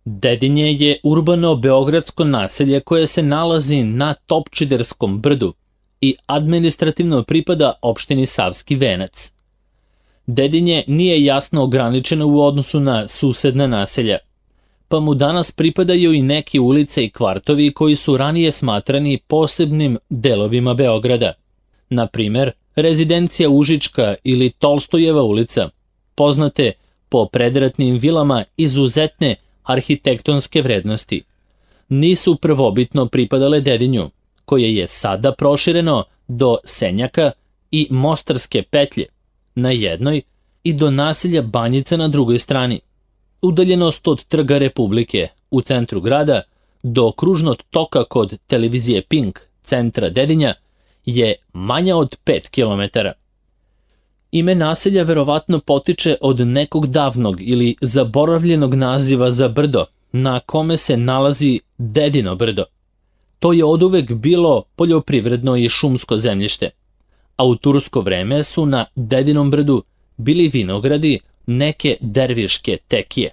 Dedinje je urbano beogradsko naselje koje se nalazi na Topčiderskom brdu i administrativno pripada opštini Savski Venac. Dedinje nije jasno ograničeno u odnosu na susedna naselja, pa mu danas pripadaju i neke ulice i kvartovi koji su ranije smatrani posebnim delovima Beograda. Na primer, rezidencija Užička ili Tolstojeva ulica, poznate po predratnim vilama izuzetne arhitektonske vrednosti, nisu prvobitno pripadale Dedinju, koje je sada prošireno do Senjaka i Mostarske petlje na jednoj i do naselja Banjica na drugoj strani. Udaljenost od Trga Republike u centru grada do kružnog toka kod televizije Pink, centra Dedinja, je manja od 5 km. Ime naselja verovatno potiče od nekog davnog ili zaboravljenog naziva za brdo na kome se nalazi Dedino brdo. To je oduvek bilo poljoprivredno i šumsko zemljište, a u tursko vreme su na Dedinom brdu bili vinogradi neke derviške tekije.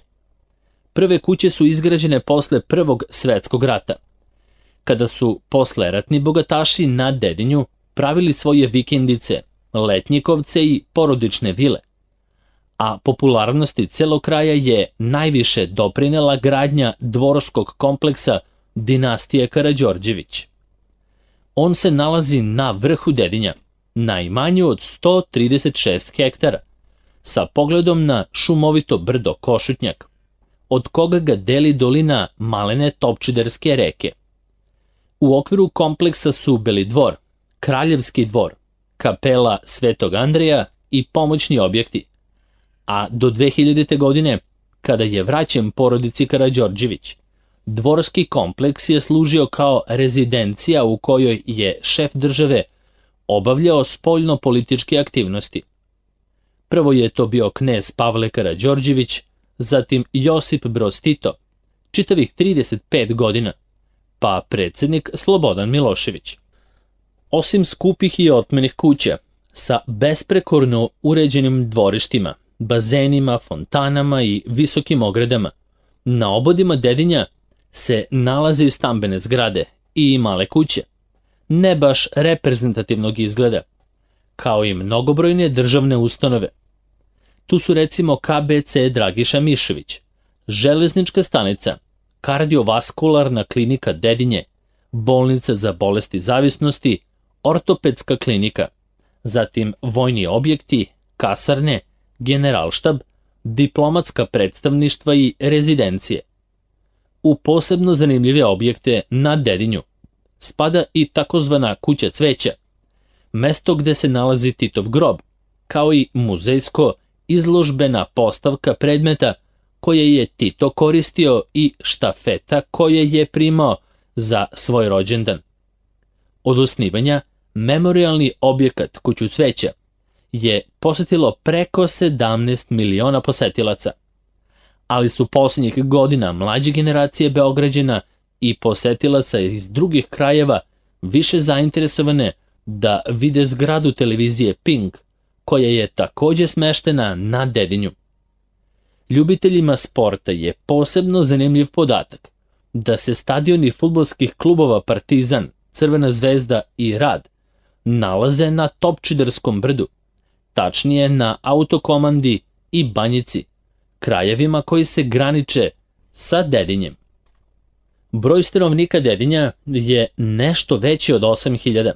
Prve kuće su izgrađene posle Prvog svetskog rata, kada su posleratni bogataši na Dedinju pravili svoje vikendice, letnjikovce i porodične vile, a popularnosti celog kraja je najviše doprinela gradnja dvorskog kompleksa dinastije Karađorđević. On se nalazi na vrhu Dedinja, najmanju od 136 hektara, sa pogledom na šumovito brdo Košutnjak, od koga ga deli dolina malene Topčiderske reke. U okviru kompleksa su Beli dvor, Kraljevski dvor, kapela Svetog Andreja i pomoćni objekti, a do 2000. godine, kada je vraćen porodici Karađorđević, dvorski kompleks je služio kao rezidencija u kojoj je šef države obavljao spoljno-političke aktivnosti. Prvo je to bio knez Pavle Karađorđević, zatim Josip Broz Tito, čitavih 35 godina, pa predsjednik Slobodan Milošević. Osim skupih i otmenih kuća, sa besprekorno uređenim dvorištima, bazenima, fontanama i visokim ogradama, na obodima Dedinja se nalaze i stambene zgrade i male kuće, ne baš reprezentativnog izgleda, kao i mnogobrojne državne ustanove. Tu su recimo KBC Dragiša Mišović, železnička stanica, kardiovaskularna klinika Dedinje, bolnica za bolesti zavisnosti, ortopedska klinika, zatim vojni objekti, kasarne, generalštab, diplomatska predstavništva i rezidencije. U posebno zanimljive objekte na Dedinju spada i takozvana kuća cveća, mesto gde se nalazi Titov grob, kao i muzejsko izložbena postavka predmeta koje je Tito koristio i štafeta koje je primao za svoj rođendan. Od osnivanja memorialni objekat Kuću cveća je posetilo preko 17 miliona posetilaca, ali su posljednjih godina mlađe generacije Beograđana i posetilaca iz drugih krajeva više zainteresovane da vide zgradu televizije Pink, koja je takođe smeštena na Dedinju. Ljubiteljima sporta je posebno zanimljiv podatak da se stadioni fudbalskih klubova Partizan, Crvena zvezda i Rad nalaze na Topčiderskom brdu, tačnije na Autokomandi i Banjici, krajevima koji se graniče sa Dedinjem. Broj stanovnika Dedinja je nešto veći od 8.000,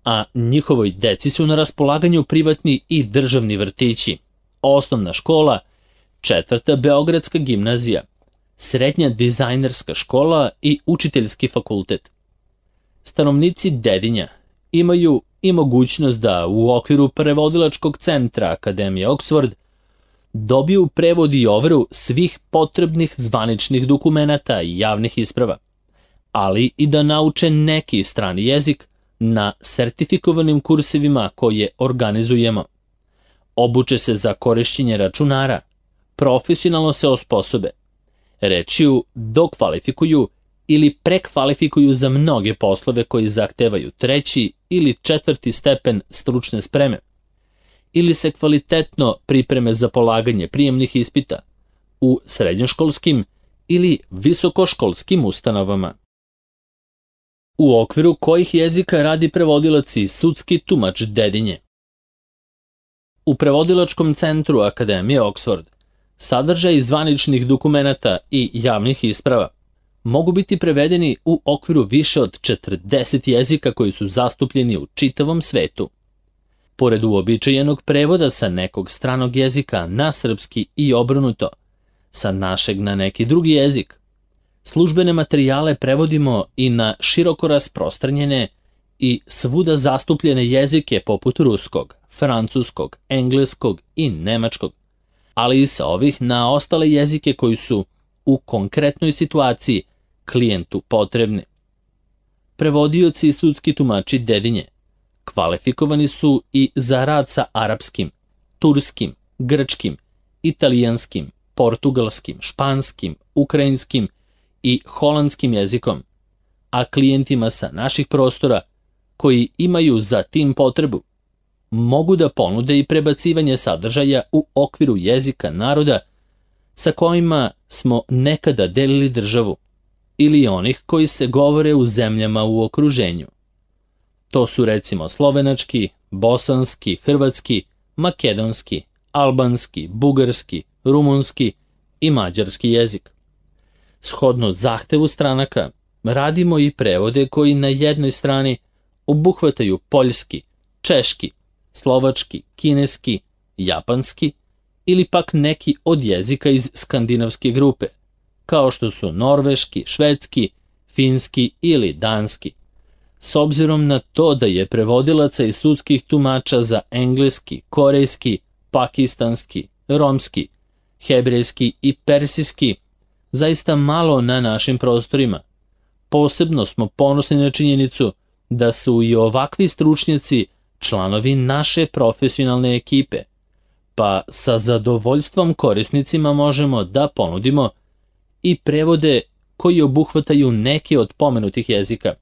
a njihovoj deci su na raspolaganju privatni i državni vrtići, osnovna škola, 4. Beogradska gimnazija, srednja dizajnerska škola i učiteljski fakultet. Stanovnici Dedinja imaju i mogućnost da u okviru prevodilačkog centra Akademije Oxford dobiju prevod i overu svih potrebnih zvaničnih dokumenata i javnih isprava, ali i da nauče neki strani jezik na sertifikovanim kursevima koje organizujemo. Obuče se za korišćenje računara, profesionalno se osposobe, rečju dokvalifikuju ili prekvalifikuju za mnoge poslove koji zahtevaju 3. ili 4. stepen stručne spreme, ili se kvalitetno pripreme za polaganje prijemnih ispita u srednjoškolskim ili visokoškolskim ustanovama. U okviru kojih jezika radi prevodilac i sudski tumač Dedinje? U Prevodilačkom centru Akademije Oxford sadržaj zvaničnih dokumenata i javnih isprava mogu biti prevedeni u okviru više od 40 jezika koji su zastupljeni u čitavom svetu. Pored uobičajenog prevoda sa nekog stranog jezika na srpski i obrnuto, sa našeg na neki drugi jezik, službene materijale prevodimo i na široko rasprostranjene i svuda zastupljene jezike poput ruskog, francuskog, engleskog i nemačkog, ali i sa ovih na ostale jezike koji su u konkretnoj situaciji klijentu potrebni. Prevodioci i sudski tumači Dedinje kvalifikovani su i za rad sa arapskim, turskim, grčkim, italijanskim, portugalskim, španskim, ukrajinskim i holandskim jezikom, a klijentima sa naših prostora koji imaju za tim potrebu mogu da ponude i prebacivanje sadržaja u okviru jezika naroda sa kojima smo nekada delili državu ili onih koji se govore u zemljama u okruženju. To su recimo slovenački, bosanski, hrvatski, makedonski, albanski, bugarski, rumunski i mađarski jezik. Shodno zahtevu stranaka, radimo i prevode koji na jednoj strani obuhvataju poljski, češki, slovački, kineski, japanski ili pak neki od jezika iz skandinavske grupe, kao što su norveški, švedski, finski ili danski. S obzirom na to da je prevodilaca i sudskih tumača za engleski, korejski, pakistanski, romski, hebrejski i persijski zaista malo na našim prostorima, posebno smo ponosni na činjenicu da su i ovakvi stručnjaci članovi naše profesionalne ekipe, pa sa zadovoljstvom korisnicima možemo da ponudimo i prevode koji obuhvataju neke od pomenutih jezika.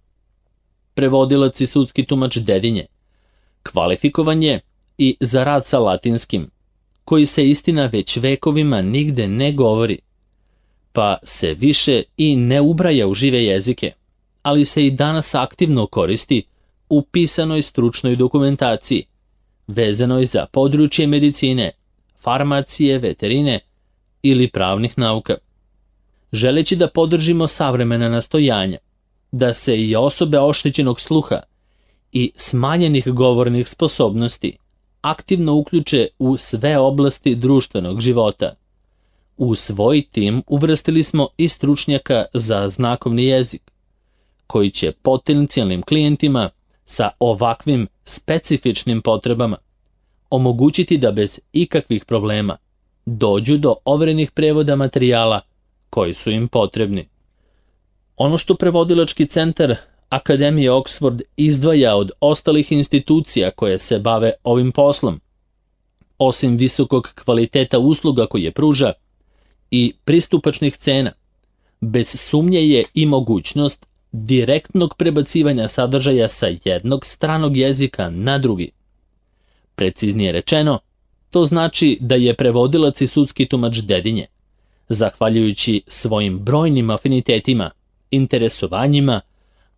Prevodilac i sudski tumač Dedinje kvalifikovan je i za rad sa latinskim, koji se istina već vekovima nigde ne govori, pa se više i ne ubraja u žive jezike, ali se i danas aktivno koristi u pisanoj stručnoj dokumentaciji, vezanoj za područje medicine, farmacije, veterine ili pravnih nauka. Želeći da podržimo savremena nastojanja, da se i osobe oštećenog sluha i smanjenih govornih sposobnosti aktivno uključe u sve oblasti društvenog života. U svoj tim uvrstili smo i stručnjaka za znakovni jezik, koji će potencijalnim klijentima sa ovakvim specifičnim potrebama omogućiti da bez ikakvih problema dođu do overenih prevoda materijala koji su im potrebni. Ono što Prevodilački centar Akademije Oxford izdvaja od ostalih institucija koje se bave ovim poslom, osim visokog kvaliteta usluga koje pruža i pristupačnih cena, bez sumnje je i mogućnost direktnog prebacivanja sadržaja sa jednog stranog jezika na drugi. Preciznije rečeno, to znači da je prevodilac i sudski tumač Dedinje, zahvaljujući svojim brojnim afinitetima, interesovanjima,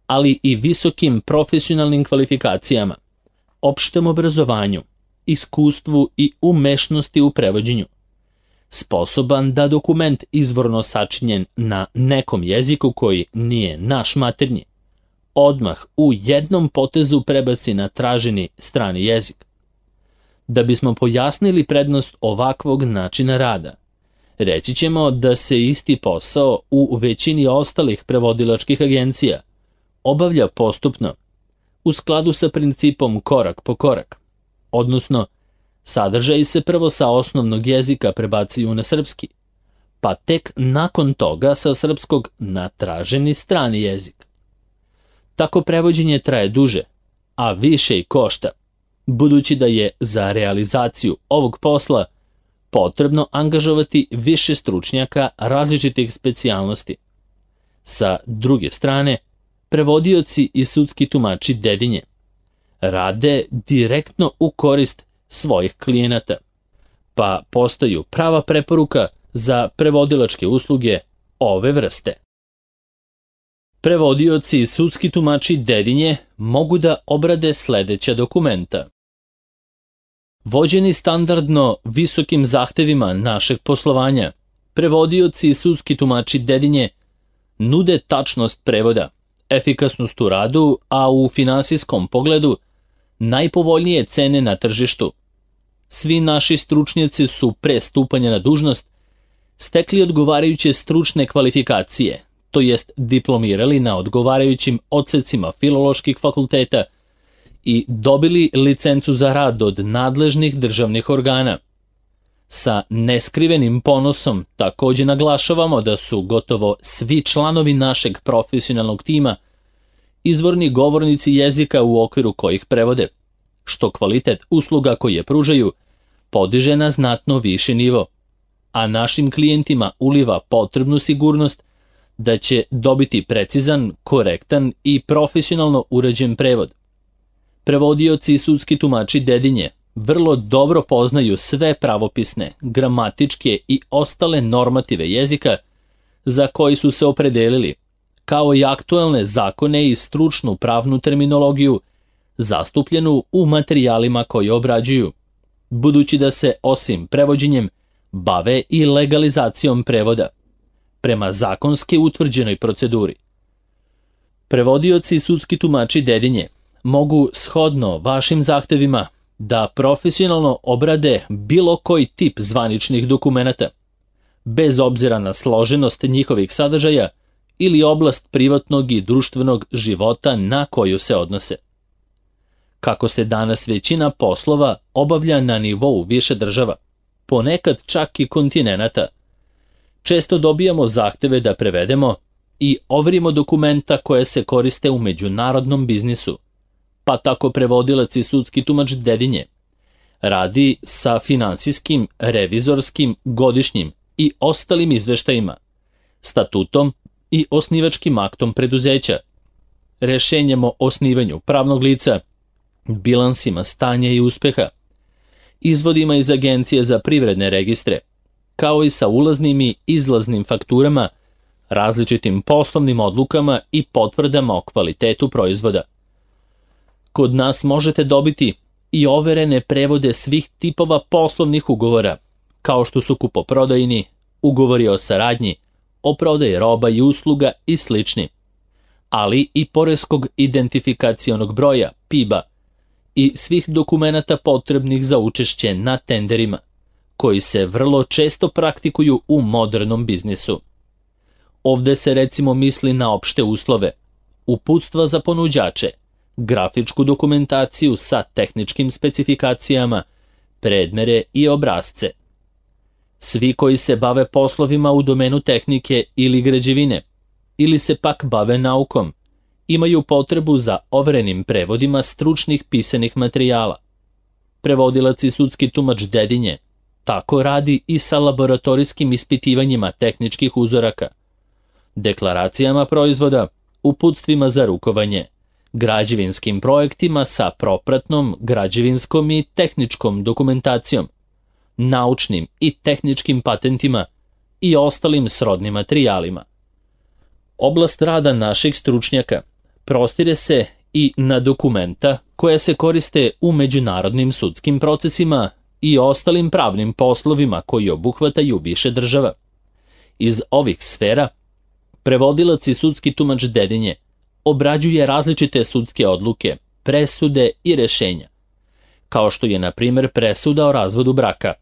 ali i visokim profesionalnim kvalifikacijama, opštem obrazovanju, iskustvu i umešnosti u prevođenju, sposoban da dokument izvorno sačinjen na nekom jeziku koji nije naš maternji, odmah u jednom potezu prebaci na traženi strani jezik. Da bismo pojasnili prednost ovakvog načina rada, reći ćemo da se isti posao u većini ostalih prevodilačkih agencija obavlja postupno, u skladu sa principom korak po korak, odnosno sadržaji se prvo sa osnovnog jezika prebacuju na srpski, pa tek nakon toga sa srpskog na traženi strani jezik. Tako prevođenje traje duže, a više i košta, budući da je za realizaciju ovog posla potrebno angažovati više stručnjaka različitih specijalnosti. Sa druge strane, prevodioci i sudski tumači Dedinje rade direktno u korist svojih klijenata, pa postaju prava preporuka za prevodilačke usluge ove vrste. Prevodioci i sudski tumači Dedinje mogu da obrade sledeća dokumenta. Vođeni standardno visokim zahtevima našeg poslovanja, prevodioci i sudski tumači Dedinje nude tačnost prevoda, efikasnost u radu, a u finansijskom pogledu najpovoljnije cene na tržištu. Svi naši stručnjaci su pre stupanja na dužnost stekli odgovarajuće stručne kvalifikacije, to jest diplomirali na odgovarajućim odsecima filoloških fakulteta i dobili licencu za rad od nadležnih državnih organa. Sa neskrivenim ponosom takođe naglašavamo da su gotovo svi članovi našeg profesionalnog tima izvorni govornici jezika u okviru kojih prevode, što kvalitet usluga koje pružaju podiže na znatno viši nivo, a našim klijentima uliva potrebnu sigurnost da će dobiti precizan, korektan i profesionalno urađen prevod. Prevodioci i sudski tumači Dedinje vrlo dobro poznaju sve pravopisne, gramatičke i ostale normative jezika za koji su se opredelili, kao i aktuelne zakone i stručnu pravnu terminologiju zastupljenu u materijalima koje obrađuju, budući da se osim prevođenjem bave i legalizacijom prevoda, prema zakonski utvrđenoj proceduri. Prevodioci i sudski tumači Dedinje mogu shodno vašim zahtevima da profesionalno obrade bilo koji tip zvaničnih dokumenata, bez obzira na složenost njihovih sadržaja ili oblast privatnog i društvenog života na koju se odnose. Kako se danas većina poslova obavlja na nivou više država, ponekad čak i kontinenata, često dobijamo zahteve da prevedemo i overimo dokumenta koje se koriste u međunarodnom biznisu, pa tako prevodilac i sudski tumač Dedinje radi sa finansijskim, revizorskim, godišnjim i ostalim izveštajima, statutom i osnivačkim aktom preduzeća, rešenjem o osnivanju pravnog lica, bilansima stanja i uspeha, izvodima iz Agencije za privredne registre, kao i sa ulaznim i izlaznim fakturama, različitim poslovnim odlukama i potvrdama o kvalitetu proizvoda. Kod nas možete dobiti i overene prevode svih tipova poslovnih ugovora, kao što su kupoprodajni, ugovori o saradnji, o prodaji roba i usluga i slični, ali i poreskog identifikacionog broja, PIB-a, i svih dokumenata potrebnih za učešće na tenderima, koji se vrlo često praktikuju u modernom biznisu. Ovde se recimo misli na opšte uslove, uputstva za ponuđače, grafičku dokumentaciju sa tehničkim specifikacijama, predmere i obrazce. Svi koji se bave poslovima u domenu tehnike ili građevine, ili se pak bave naukom, imaju potrebu za overenim prevodima stručnih pisanih materijala. Prevodilac i sudski tumač Dedinje tako radi i sa laboratorijskim ispitivanjima tehničkih uzoraka, deklaracijama proizvoda, uputstvima za rukovanje, građevinskim projektima sa propratnom građevinskom i tehničkom dokumentacijom, naučnim i tehničkim patentima i ostalim srodnim materijalima. Oblast rada naših stručnjaka prostire se i na dokumenta koja se koriste u međunarodnim sudskim procesima i ostalim pravnim poslovima koji obuhvataju više država. Iz ovih sfera prevodilac i sudski tumač Dedinje obrađuje različite sudske odluke, presude i rešenja, kao što je na primjer presuda o razvodu braka,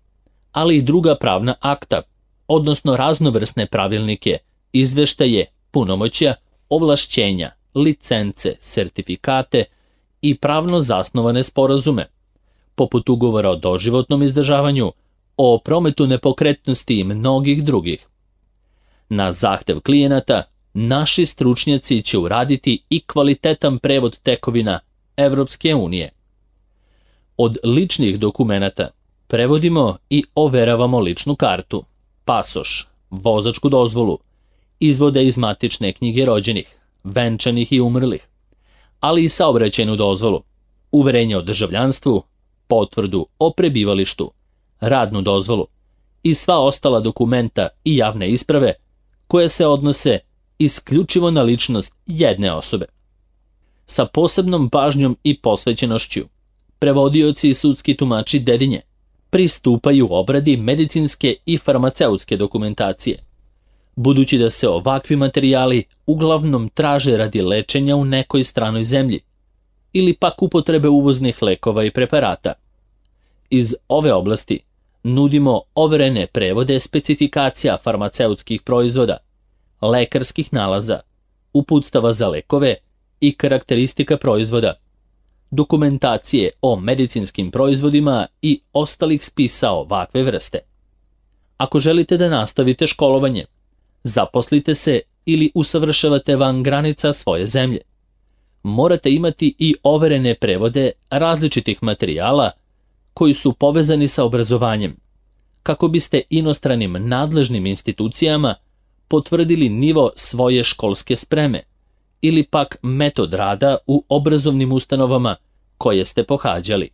ali i druga pravna akta, odnosno raznovrsne pravilnike, izveštaje, punomoćja, ovlašćenja, licence, sertifikate i pravno zasnovane sporazume, poput ugovora o doživotnom izdržavanju, o prometu nepokretnosti i mnogih drugih. Na zahtev klijenata, naši stručnjaci će uraditi i kvalitetan prevod tekovina Evropske unije. Od ličnih dokumenata prevodimo i overavamo ličnu kartu, pasoš, vozačku dozvolu, izvode iz matične knjige rođenih, venčanih i umrlih, ali i saobraćajnu dozvolu, uverenje o državljanstvu, potvrdu o prebivalištu, radnu dozvolu i sva ostala dokumenta i javne isprave koje se odnose isključivo na ličnost jedne osobe. Sa posebnom pažnjom i posvećenošću, prevodioci i sudski tumači Dedinje pristupaju obradi medicinske i farmaceutske dokumentacije, budući da se ovakvi materijali uglavnom traže radi lečenja u nekoj stranoj zemlji ili pak upotrebe uvoznih lekova i preparata. Iz ove oblasti nudimo overene prevode specifikacija farmaceutskih proizvoda, lekarskih nalaza, uputstava za lekove i karakteristika proizvoda, dokumentacije o medicinskim proizvodima i ostalih spisa ovakve vrste. Ako želite da nastavite školovanje, zaposlite se ili usavršavate van granica svoje zemlje, morate imati i overene prevode različitih materijala koji su povezani sa obrazovanjem, kako biste inostranim nadležnim institucijama potvrdili nivo svoje školske spreme ili pak metod rada u obrazovnim ustanovama koje ste pohađali.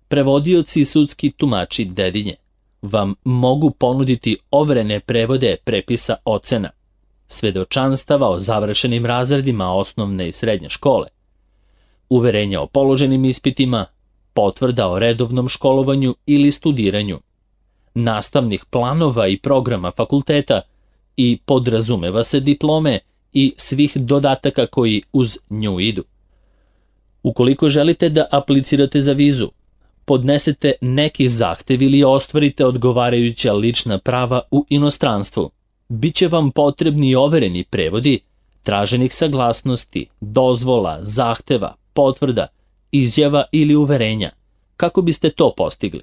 Prevodioci i sudski tumači Dedinje vam mogu ponuditi overene prevode prepisa ocena, svedočanstava o završenim razredima osnovne i srednje škole, uverenja o položenim ispitima, potvrda o redovnom školovanju ili studiranju, nastavnih planova i programa fakulteta i podrazumeva se diplome i svih dodataka koji uz nju idu. Ukoliko želite da aplicirate za vizu, podnesete neki zahtev ili ostvarite odgovarajuća lična prava u inostranstvu, bit će vam potrebni overeni prevodi traženih saglasnosti, dozvola, zahteva, potvrda, izjava ili uverenja, kako biste to postigli.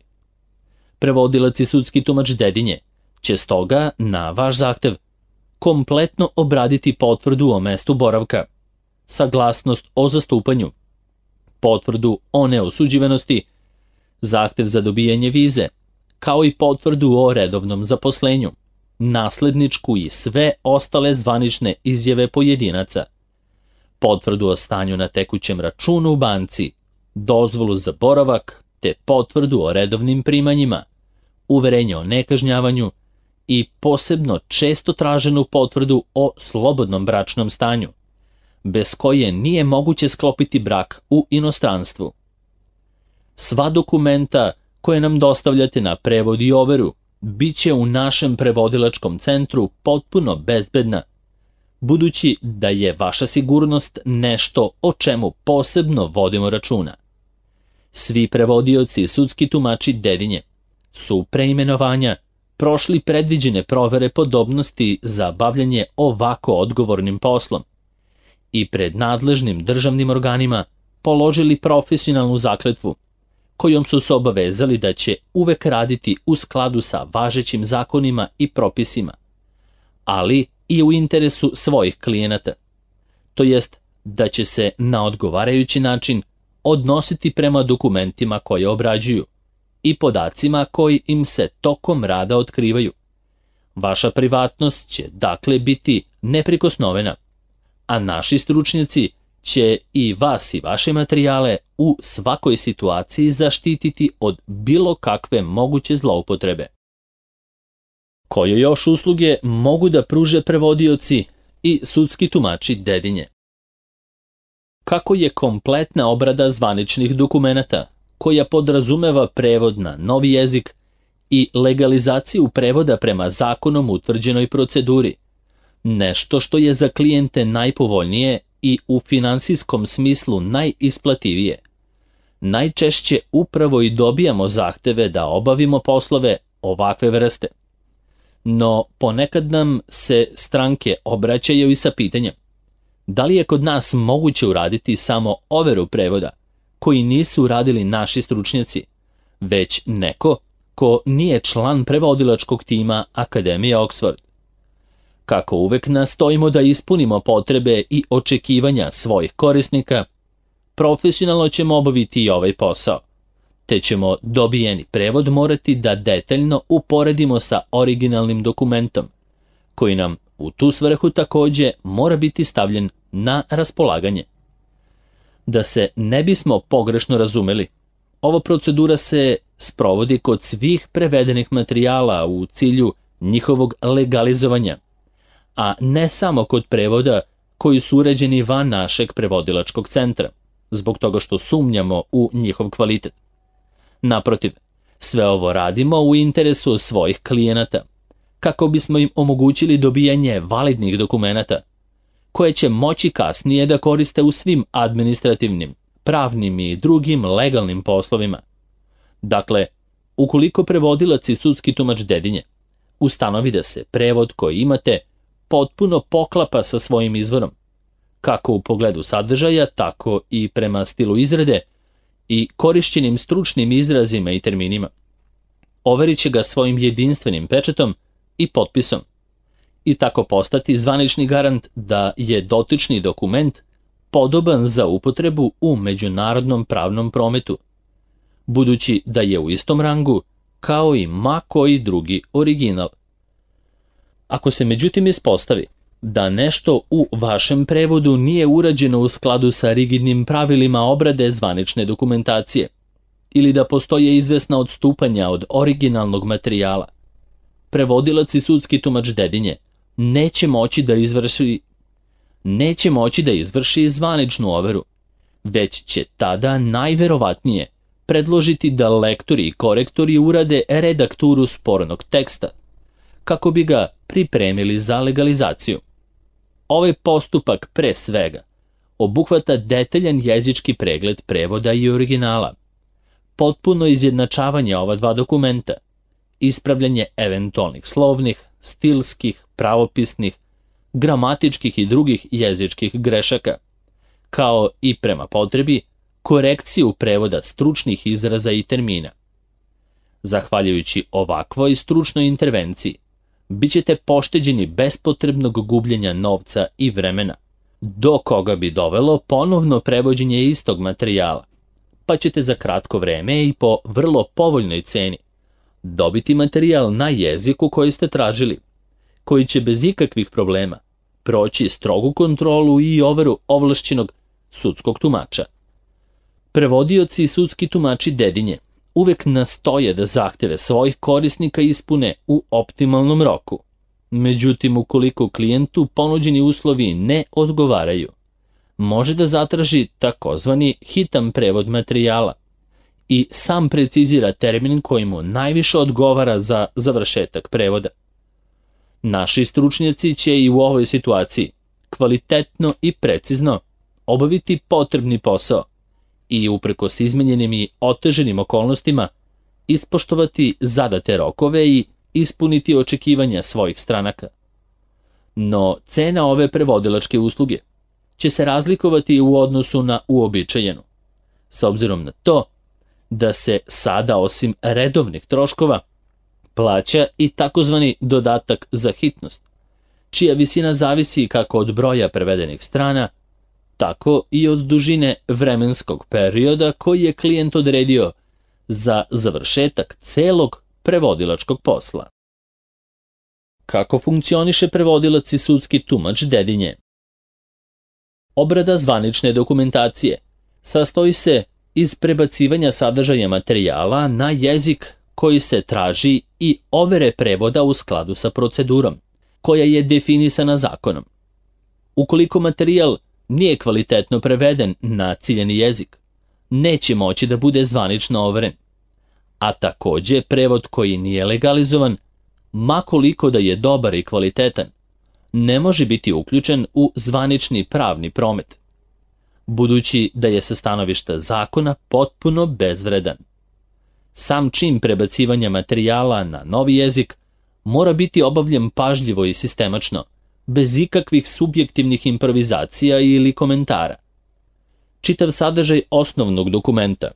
Prevodilac i sudski tumač Dedinje će stoga na vaš zahtev kompletno obraditi potvrdu o mestu boravka, saglasnost o zastupanju, potvrdu o neosuđivanosti, zahtev za dobijanje vize, kao i potvrdu o redovnom zaposlenju, nasledničku i sve ostale zvanične izjave pojedinaca, potvrdu o stanju na tekućem računu u banci, dozvolu za boravak te potvrdu o redovnim primanjima, uverenje o nekažnjavanju i posebno često traženu potvrdu o slobodnom bračnom stanju, bez koje nije moguće sklopiti brak u inostranstvu. Sva dokumenta koje nam dostavljate na prevod i overu bit će u našem prevodilačkom centru potpuno bezbedna, budući da je vaša sigurnost nešto o čemu posebno vodimo računa. Svi prevodioci i sudski tumači Dedinje su pre imenovanja prošli predviđene provere podobnosti za bavljanje ovako odgovornim poslom i pred nadležnim državnim organima položili profesionalnu zakletvu, kojom su se obavezali da će uvek raditi u skladu sa važećim zakonima i propisima, ali i u interesu svojih klijenata, to jest da će se na odgovarajući način odnositi prema dokumentima koje obrađuju i podacima koji im se tokom rada otkrivaju. Vaša privatnost će dakle biti neprikosnovena, a naši stručnjaci će i vas i vaše materijale u svakoj situaciji zaštititi od bilo kakve moguće zloupotrebe. Koje još usluge mogu da pruže prevodioci i sudski tumači Dedinje? Kako je kompletna obrada zvaničnih dokumenata, koja podrazumeva prevod na novi jezik i legalizaciju prevoda prema zakonom utvrđenoj proceduri, nešto što je za klijente najpovoljnije i u finansijskom smislu najisplativije. Najčešće upravo i dobijamo zahteve da obavimo poslove ovakve vrste. No ponekad nam se stranke obraćaju i sa pitanjem: da li je kod nas moguće uraditi samo overu prevoda koji nisu uradili naši stručnjaci, već neko ko nije član prevodilačkog tima Akademije Oxford? Kako uvek nastojimo da ispunimo potrebe i očekivanja svojih korisnika, profesionalno ćemo obaviti i ovaj posao, te ćemo dobijeni prevod morati da detaljno uporedimo sa originalnim dokumentom, koji nam u tu svrhu takođe mora biti stavljen na raspolaganje. Da se ne bismo pogrešno razumeli, ova procedura se sprovodi kod svih prevedenih materijala u cilju njihovog legalizovanja, a ne samo kod prevoda koji su uređeni van našeg prevodilačkog centra, zbog toga što sumnjamo u njihov kvalitet. Naprotiv, sve ovo radimo u interesu svojih klijenata, kako bismo im omogućili dobijanje validnih dokumenata, koje će moći kasnije da koriste u svim administrativnim, pravnim i drugim legalnim poslovima. Dakle, ukoliko prevodilac i sudski tumač Dedinje ustanovi da se prevod koji imate potpuno poklapa sa svojim izvorom, kako u pogledu sadržaja, tako i prema stilu izrade i korišćenim stručnim izrazima i terminima, overit će ga svojim jedinstvenim pečatom i potpisom i tako postati zvanični garant da je dotični dokument podoban za upotrebu u međunarodnom pravnom prometu, budući da je u istom rangu kao i ma koji drugi original. Ako se međutim ispostavi da nešto u vašem prevodu nije urađeno u skladu sa rigidnim pravilima obrade zvanične dokumentacije ili da postoje izvesna odstupanja od originalnog materijala, prevodilac i sudski tumač Dedinje neće moći da izvrši zvaničnu overu, već će tada najverovatnije predložiti da lektori i korektori urade redakturu spornog teksta, kako bi ga pripremili za legalizaciju. Ovaj postupak pre svega obuhvata detaljan jezički pregled prevoda i originala, potpuno izjednačavanje ova dva dokumenta, ispravljanje eventualnih slovnih, stilskih, pravopisnih, gramatičkih i drugih jezičkih grešaka, kao i prema potrebi korekciju prevoda stručnih izraza i termina. Zahvaljujući ovakvoj stručnoj intervenciji, bit ćete pošteđeni bespotrebnog gubljenja novca i vremena, do koga bi dovelo ponovno prevođenje istog materijala, pa ćete za kratko vreme i po vrlo povoljnoj ceni dobiti materijal na jeziku koji ste tražili, koji će bez ikakvih problema proći strogu kontrolu i overu ovlašćenog sudskog tumača. Prevodioci i sudski tumači Dedinje uvek nastoje da zahteve svojih korisnika ispune u optimalnom roku. Međutim, ukoliko klijentu ponuđeni uslovi ne odgovaraju, može da zatraži takozvani hitan prevod materijala i sam precizira termin koji mu najviše odgovara za završetak prevoda. Naši stručnjaci će i u ovoj situaciji kvalitetno i precizno obaviti potrebni posao i uprkos izmenjenim i oteženim okolnostima ispoštovati zadate rokove i ispuniti očekivanja svojih stranaka. No, cena ove prevodilačke usluge će se razlikovati u odnosu na uobičajenu, s obzirom na to da se sada osim redovnih troškova plaća i takozvani dodatak za hitnost, čija visina zavisi kako od broja prevedenih strana, tako i od dužine vremenskog perioda koji je klijent odredio za završetak celog prevodilačkog posla. Kako funkcioniše prevodilac i sudski tumač Dedinje? Obrada zvanične dokumentacije sastoji se iz prebacivanja sadržaja materijala na jezik koji se traži i overe prevoda u skladu sa procedurom, koja je definisana zakonom. Ukoliko materijal nije kvalitetno preveden na ciljeni jezik, neće moći da bude zvanično overen, a takođe prevod koji nije legalizovan, ma koliko da je dobar i kvalitetan, ne može biti uključen u zvanični pravni promet, budući da je sa stanovišta zakona potpuno bezvredan. Sam čin prebacivanja materijala na novi jezik mora biti obavljen pažljivo i sistemačno, bez ikakvih subjektivnih improvizacija ili komentara. Čitav sadržaj osnovnog dokumenta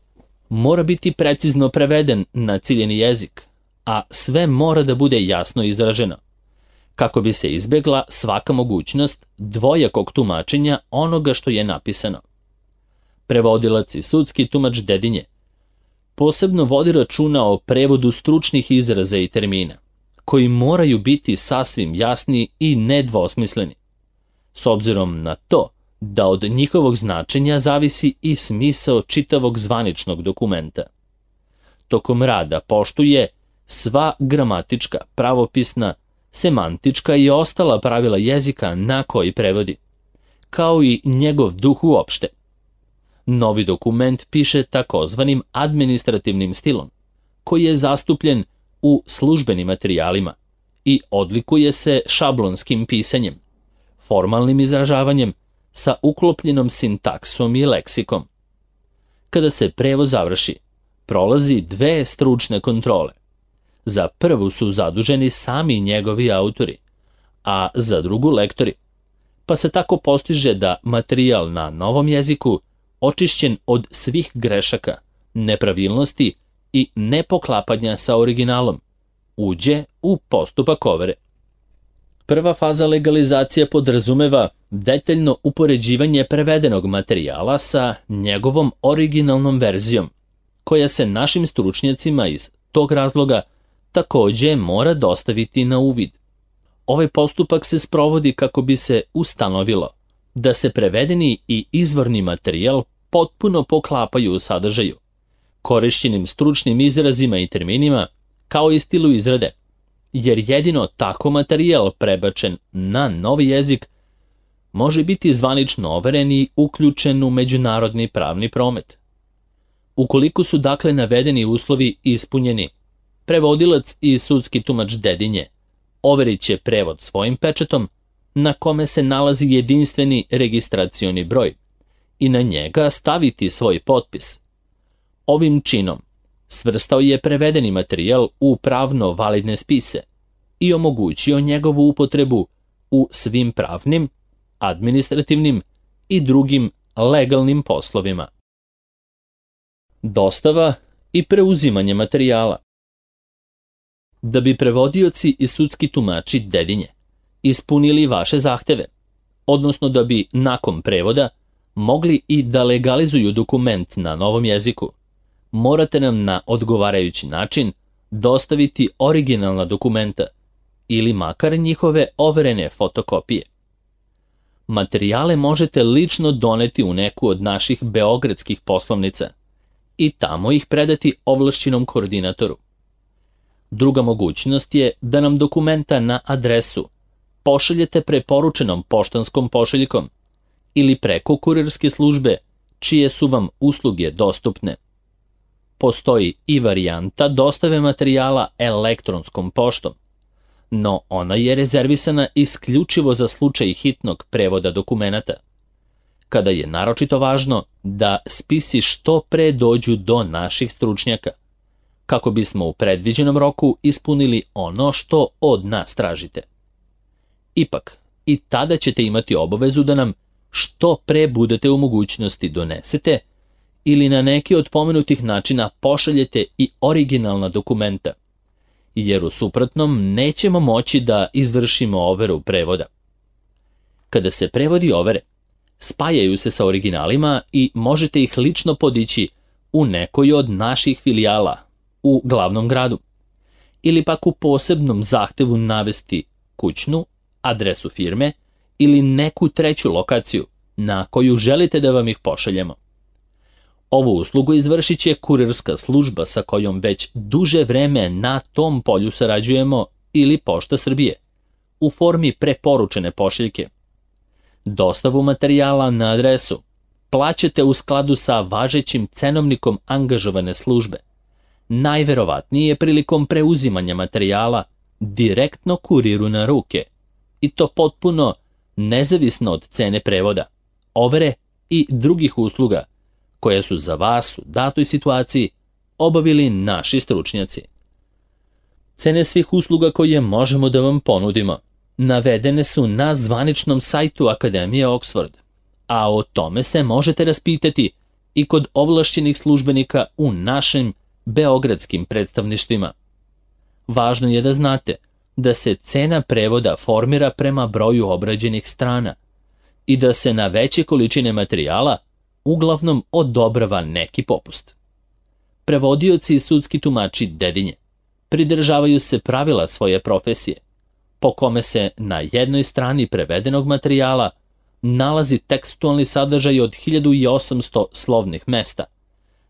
mora biti precizno preveden na ciljeni jezik, a sve mora da bude jasno izraženo, kako bi se izbegla svaka mogućnost dvojakog tumačenja onoga što je napisano. Prevodilac i sudski tumač Dedinje posebno vodi računa o prevodu stručnih izraza i termina, koji moraju biti sasvim jasni i nedvosmisleni, s obzirom na to da od njihovog značenja zavisi i smisao čitavog zvaničnog dokumenta. Tokom rada poštuje sva gramatička, pravopisna, semantička i ostala pravila jezika na koji prevodi, kao i njegov duh uopšte. Novi dokument piše takozvanim administrativnim stilom, koji je zastupljen u službenim materijalima i odlikuje se šablonskim pisanjem, formalnim izražavanjem sa uklopljenom sintaksom i leksikom. Kada se prevod završi, prolazi 2 stručne kontrole. Za prvu su zaduženi sami njegovi autori, a za drugu lektori, pa se tako postiže da materijal na novom jeziku, očišćen od svih grešaka, nepravilnosti i nepoklapanja sa originalom, uđe u postupak overe. Prva faza legalizacije podrazumeva detaljno upoređivanje prevedenog materijala sa njegovom originalnom verzijom, koja se našim stručnjacima iz tog razloga takođe mora dostaviti na uvid. Ovaj postupak se sprovodi kako bi se ustanovilo da se prevedeni i izvorni materijal potpuno poklapaju u sadržaju, korišćenim stručnim izrazima i terminima, kao i stilu izrade, jer jedino tako materijal prebačen na novi jezik može biti zvanično overen i uključen u međunarodni pravni promet. Ukoliko su dakle navedeni uslovi ispunjeni, prevodilac i sudski tumač Dedinje overit će prevod svojim pečatom, na kome se nalazi jedinstveni registracioni broj, i na njega staviti svoj potpis. Ovim činom svrstao je prevedeni materijal u pravno validne spise i omogućio njegovu upotrebu u svim pravnim, administrativnim i drugim legalnim poslovima. Dostava i preuzimanje materijala. Da bi prevodioci i sudski tumači Dedinje ispunili vaše zahteve, odnosno da bi nakon prevoda mogli i da legalizuju dokument na novom jeziku, morate nam na odgovarajući način dostaviti originalna dokumenta ili makar njihove overene fotokopije. Materijale možete lično doneti u neku od naših beogradskih poslovnica i tamo ih predati ovlašćenom koordinatoru. Druga mogućnost je da nam dokumenta na adresu pošaljete preporučenom poštanskom pošiljkom ili preko kurirske službe čije su vam usluge dostupne. Postoji i varijanta dostave materijala elektronskom poštom, no ona je rezervisana isključivo za slučaj hitnog prevoda dokumenata, kada je naročito važno da spisi što pre dođu do naših stručnjaka, kako bismo u predviđenom roku ispunili ono što od nas tražite. Ipak, i tada ćete imati obavezu da nam što pre budete u mogućnosti donesete ili na neki od pomenutih načina pošaljete i originalna dokumenta, jer u suprotnom nećemo moći da izvršimo overu prevoda. Kada se prevodi overe, spajaju se sa originalima i možete ih lično podići u nekoj od naših filijala u glavnom gradu, ili pak u posebnom zahtevu navesti kućnu, adresu firme ili neku treću lokaciju na koju želite da vam ih pošaljemo. Ovu uslugu izvršit će kurirska služba sa kojom već duže vreme na tom polju sarađujemo ili Pošta Srbije, u formi preporučene pošiljke. Dostavu materijala na adresu plaćate u skladu sa važećim cenovnikom angažovane službe, najverovatnije prilikom preuzimanja materijala direktno kuriru na ruke, i to potpuno nezavisno od cene prevoda, overe i drugih usluga koje su za vas u datoj situaciji obavili naši stručnjaci. Cene svih usluga koje možemo da vam ponudimo navedene su na zvaničnom sajtu Akademije Oxford, a o tome se možete raspitati i kod ovlašćenih službenika u našim beogradskim predstavništvima. Važno je da znate da se cena prevoda formira prema broju obrađenih strana i da se na veće količine materijala uglavnom odobrava neki popust. Prevodioci i sudski tumači Dedinje pridržavaju se pravila svoje profesije, po kome se na jednoj strani prevedenog materijala nalazi tekstualni sadržaj od 1800 slovnih mesta,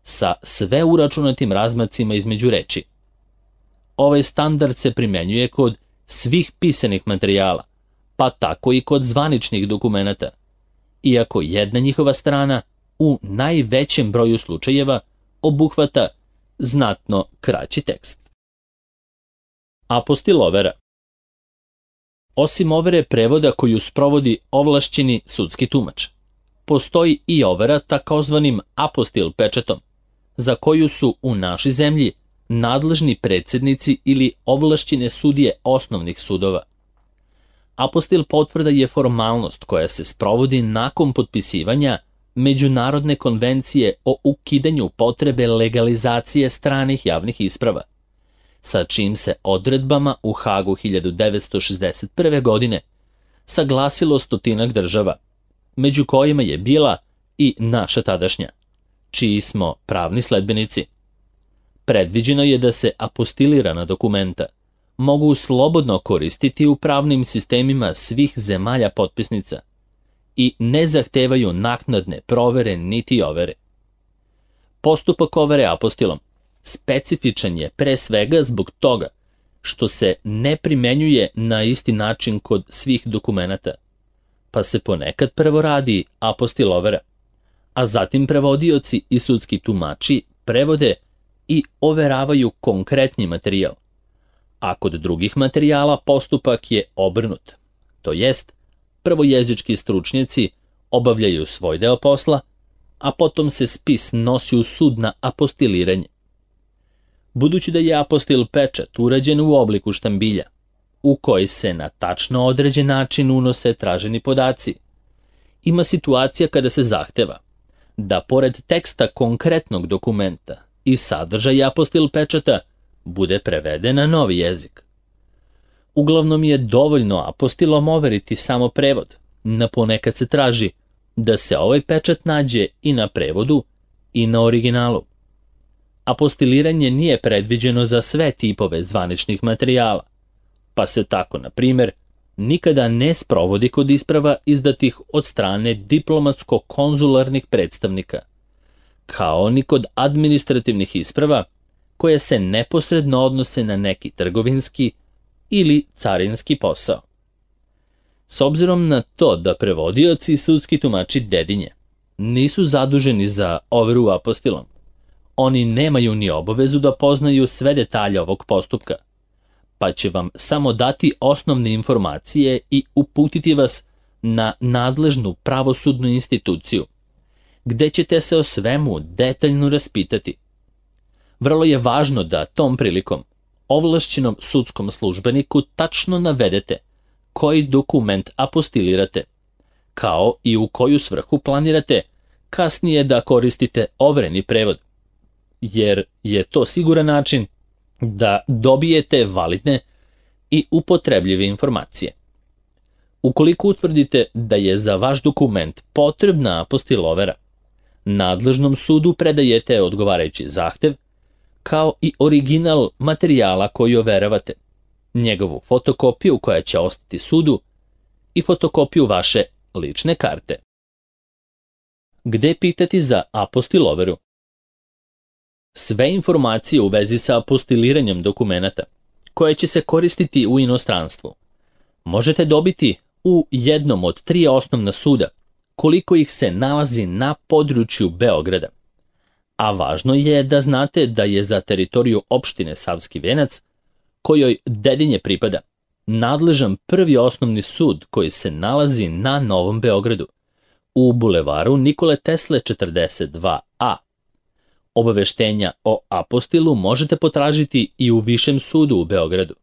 sa sve uračunatim razmacima između reči. Ovaj standard se primenjuje kod svih pisanih materijala, pa tako i kod zvaničnih dokumenata, iako jedna njihova strana u najvećem broju slučajeva obuhvata znatno kraći tekst. Apostil overa. Osim overe prevoda koju sprovodi ovlašćeni sudski tumač, postoji i overa takozvanim apostil pečatom, za koju su u našoj zemlji nadležni predsjednici ili ovlašćene sudije osnovnih sudova. Apostil potvrda je formalnost koja se sprovodi nakon potpisivanja Međunarodne konvencije o ukidanju potrebe legalizacije stranih javnih isprava, sa čim se odredbama u Hagu 1961. godine saglasilo 100 država, među kojima je bila i naša tadašnja, čiji smo pravni sledbenici. Predviđeno je da se apostilirana dokumenta mogu slobodno koristiti u pravnim sistemima svih zemalja potpisnica i ne zahtevaju naknadne provere niti overe. Postupak overe apostilom specifičan je pre svega zbog toga što se ne primenjuje na isti način kod svih dokumenata, pa se ponekad prvo radi apostil overa, a zatim prevodioci i sudski tumači prevode i overavaju konkretni materijal, a kod drugih materijala postupak je obrnut, to jest prvo jezički stručnjaci obavljaju svoj deo posla, a potom se spis nosi u sud na apostiliranje. Budući da je apostil pečat urađen u obliku štambilja, u koji se na tačno određen način unose traženi podaci, ima situacija kada se zahteva da pored teksta konkretnog dokumenta i sadržaja apostil pečata bude preveden na novi jezik. Uglavnom je dovoljno apostilom overiti samo prevod, no ponekad se traži da se ovaj pečat nađe i na prevodu i na originalu. Apostiliranje nije predviđeno za sve tipove zvaničnih materijala, pa se tako, na primjer, nikada ne sprovodi kod isprava izdatih od strane diplomatsko-konzularnih predstavnika, kao ni kod administrativnih isprava koje se neposredno odnose na neki trgovinski ili carinski posao. S obzirom na to da prevodioci i sudski tumači Dedinje nisu zaduženi za overu apostilom, oni nemaju ni obavezu da poznaju sve detalje ovog postupka, pa će vam samo dati osnovne informacije i uputiti vas na nadležnu pravosudnu instituciju, gde ćete se o svemu detaljno raspitati. Vrlo je važno da tom prilikom ovlašćenom sudskom službeniku tačno navedete koji dokument apostilirate, kao i u koju svrhu planirate kasnije da koristite overeni prevod, jer je to siguran način da dobijete validne i upotrebljive informacije. Ukoliko utvrdite da je za vaš dokument potrebna apostil overa, nadležnom sudu predajete odgovarajući zahtev, kao i original materijala koji overavate, njegovu fotokopiju koja će ostati sudu i fotokopiju vaše lične karte. Gde pitati za apostil overu? Sve informacije u vezi sa apostiliranjem dokumenata, koje će se koristiti u inostranstvu, možete dobiti u jednom od 3 osnovna suda, koliko ih se nalazi na području Beograda. A važno je da znate da je za teritoriju opštine Savski Venac, kojoj Dedinje pripada, nadležan prvi osnovni sud koji se nalazi na Novom Beogradu, u bulevaru Nikole Tesle 42A. Obaveštenja o apostilu možete potražiti i u Višem sudu u Beogradu,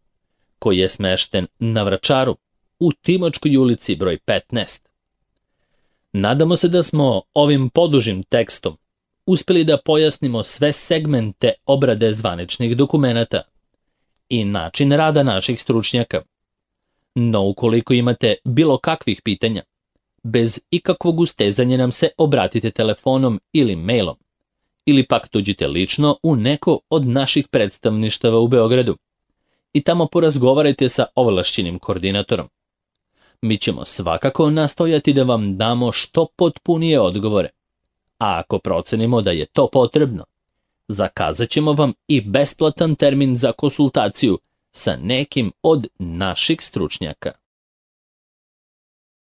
koji je smešten na Vračaru, u Timočkoj ulici broj 15. Nadamo se da smo ovim podužim tekstom uspeli da pojasnimo sve segmente obrade zvaničnih dokumenata i način rada naših stručnjaka. No ukoliko imate bilo kakvih pitanja, bez ikakvog ustezanja nam se obratite telefonom ili mailom, ili pak dođite lično u neko od naših predstavništava u Beogradu i tamo porazgovarajte sa ovlašćenim koordinatorom. Mi ćemo svakako nastojati da vam damo što potpunije odgovore, a ako procenimo da je to potrebno, zakazat ćemo vam i besplatan termin za konsultaciju sa nekim od naših stručnjaka.